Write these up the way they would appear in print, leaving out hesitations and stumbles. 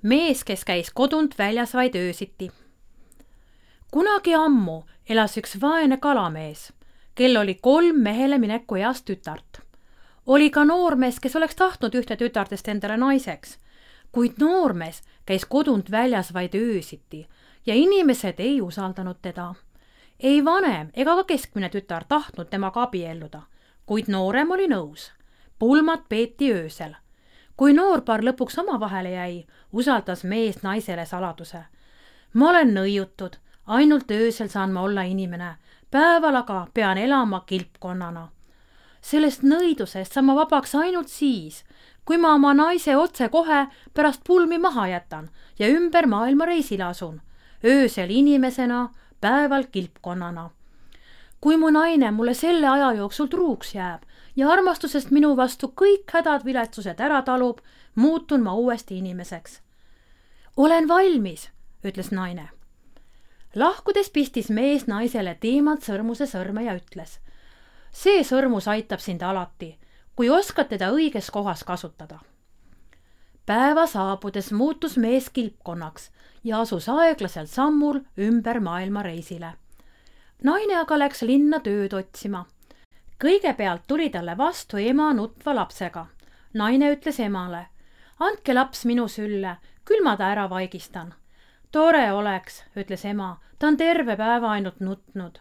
mees, kes käis kodunt väljas vaid öösiti. Kunagi ammu elas üks vaene kalamees, kel oli 3 mehele mineku eas tütart. Oli ka noormees, kes oleks tahtnud ühte tütartest endale naiseks, kuid noormees käis kodunt väljas vaid öösiti ja inimesed ei usaldanud teda. Ei vanem ega ka keskmine tütar tahtnud temaga abielluda, kuid noorem oli nõus. Pulmad peeti öösel. Kui noorpaar lõpuks omavahele jäi, usaldas mees naisele saladuse. Ma olen nõiutud, ainult öösel saan ma olla inimene, päeval aga pean elama kilpkonnana. Sellest nõidusest saan ma vabaks ainult siis, kui ma oma naise otse kohe pärast pulmi maha jätan ja ümber maailma reisile asun, öösel inimesena, päeval kilpkonnana. Kui mu naine mulle selle aja jooksul truuks jääb ja armastusest minu vastu kõik hädad viletsused ära talub, muutun ma uuesti inimeseks. Olen valmis, ütles naine. Lahkudes pistis mees naisele teemant sõrmuse sõrme ja ütles: see sõrmus aitab sind alati, kui oskad teda õiges kohas kasutada. Päeva saabudes muutus mees kilpkonnaks ja asus aeglaselt sammul ümber maailma reisile. Naine aga läks linna tööd otsima. Kõigepealt tuli talle vastu ema nutva lapsega. Naine ütles emale: andke laps minu sülle, küll ma ta ära vaigistan. Tore oleks, ütles ema, ta on terve päeva ainult nutnud.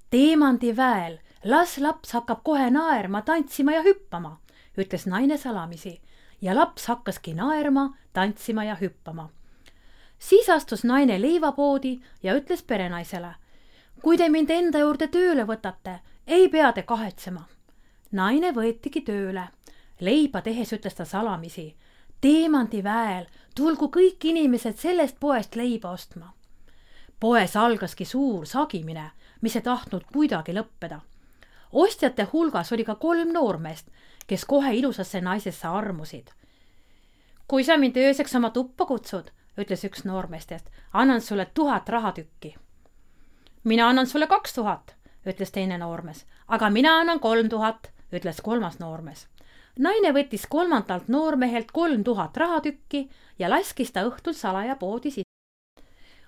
Teemandi väel, las laps hakkab kohe naerma, tantsima ja hüppama, ütles naine salamisi ja laps hakkaski naerma, tantsima ja hüppama. Siis astus naine leivapoodi ja ütles perenaisele: kui te mind enda juurde tööle võtate, ei pea te kahetsema. Naine võetigi tööle. Leiba tehes ütles ta salamisi: Teemandi väel, tulgu kõik inimesed sellest poest leiba ostma. Poes algaski suur sagimine, mis ei tahtnud kuidagi lõppeda. Ostjate hulgas oli ka 3 noormeest, kes kohe ilusasse naisesse armusid. Kui sa mind ööseks oma tuppa kutsud, ütles üks noormeestest, annan sulle 1000 rahatükki. Mina annan sulle 2000, ütles teine noormees, aga mina annan 3000, ütles 3. noormees. Naine võttis 3. noormehelt 3000 rahatükki ja laskis ta õhtul salaja poodi sisse.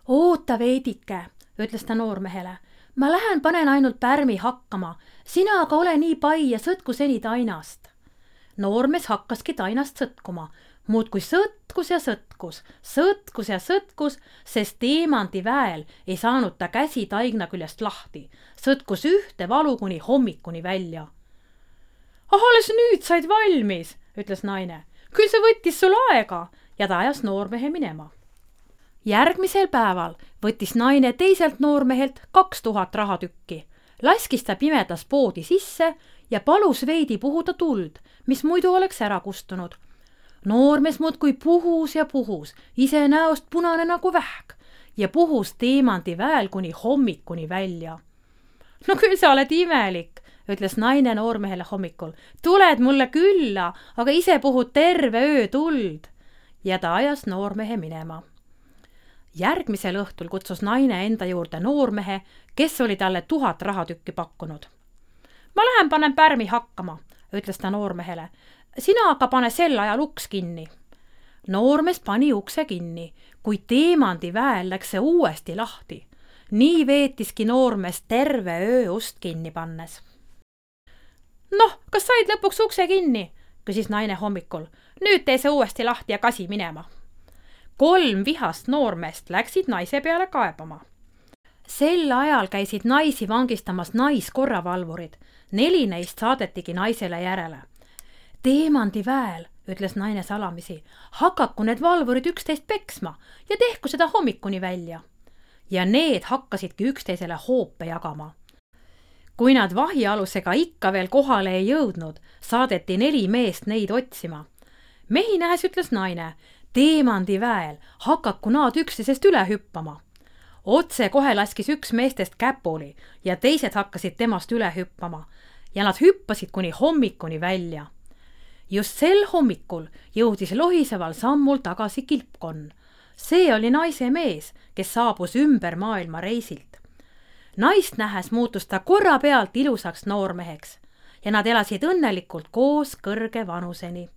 Oota veidike, ütles ta noormehele. Ma lähen panen ainult pärmi hakkama, sina aga ole nii pai ja sõtku seni tainast. Noormees hakkaski tainast sõtkuma, muudkui sõtkus ja sõtkus, sõtkus ja sõtkus, sest Teemandi väel ei saanud ta käsi taigna küljest lahti, sõtkus ühte valu kuni hommikuni välja. Alles nüüd said valmis, ütles naine. Küll see võttis sul aega ja ta ajas noormehe minema. Järgmisel päeval võttis naine teiselt noormehelt 2000 rahatükki, laskis ta pimedas poodi sisse ja palus veidi puhuda tuld, mis muidu oleks ära kustunud. Noormees muudkui puhus ja puhus, ise näost punane nagu vähk ja puhus Teemandi väel kuni hommikuni välja. No küll sa oled imelik, ütles naine noormehele hommikul. Tuled mulle külla, aga ise puhud terve öö tuld. Ja ta ajas noormehe minema. Järgmisel õhtul kutsus naine enda juurde noormehe, kes oli talle 1000 rahatükki pakkunud. Ma lähen panen pärmi hakkama, ütles ta noormehele. Sina aga pane sel ajal uks kinni. Noormees pani ukse kinni, kuid Teemandi väel läks see uuesti lahti. Nii veetiski noormees terve öö ust kinni pannes. Noh, kas said lõpuks ukse kinni? Küsis naine hommikul. Nüüd tee see uuesti lahti ja kasi minema. 3 vihast noormeest läksid naise peale kaebama. Sel ajal käisid naisi vangistamas naiskorravalvurid. 4 neist saadetigi naisele järele. Teemandi väel, ütles naine salamisi, hakaku need valvurid üksteist peksma ja tehku seda hommikuni välja. Ja need hakkasidki üksteisele hoope jagama. Kui nad vahialusega ikka veel kohale ei jõudnud, saadeti 4 meest neid otsima. Mehi nähes ütles naine: Teemandi väel hakaku nad üksteisest üle hüppama. Otse kohe laskis üks meestest käpuli ja teised hakkasid temast üle hüppama ja nad hüppasid kuni hommikuni välja. Just sel hommikul jõudis lohiseval sammul tagasi kilpkonn. See oli naise mees, kes saabus ümber maailma reisilt. Naist nähes muutus ta korra pealt ilusaks noormeheks ja nad elasid õnnelikult koos kõrge vanuseni.